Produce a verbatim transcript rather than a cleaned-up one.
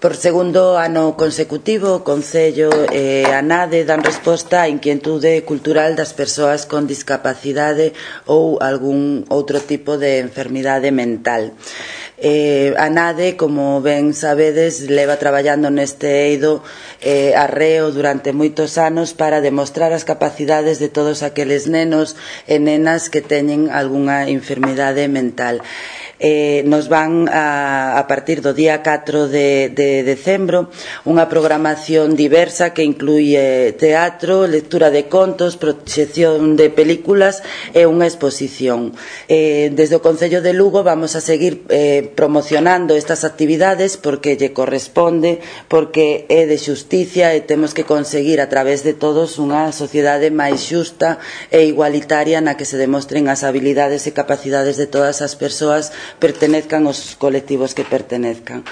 Por segundo ano consecutivo, o Concello e a NADE dan resposta á inquietude cultural das persoas con discapacidade ou algún outro tipo de enfermidade mental. Eh, a NADE, como ben sabedes, leva traballando neste eido eh, arreo durante moitos anos para demostrar as capacidades de todos aqueles nenos e nenas que teñen algunha enfermidade mental. Eh, nos van a, a partir do día catro de, de decembro unha programación diversa que incluye teatro, lectura de contos, proxección de películas e unha exposición. Eh, desde o Concello de Lugo vamos a seguir eh, promocionando estas actividades porque lle corresponde, porque é de xusticia e temos que conseguir a través de todos unha sociedade máis xusta e igualitaria na que se demostren as habilidades e capacidades de todas as persoas pertenezcan aos colectivos que pertenezcan.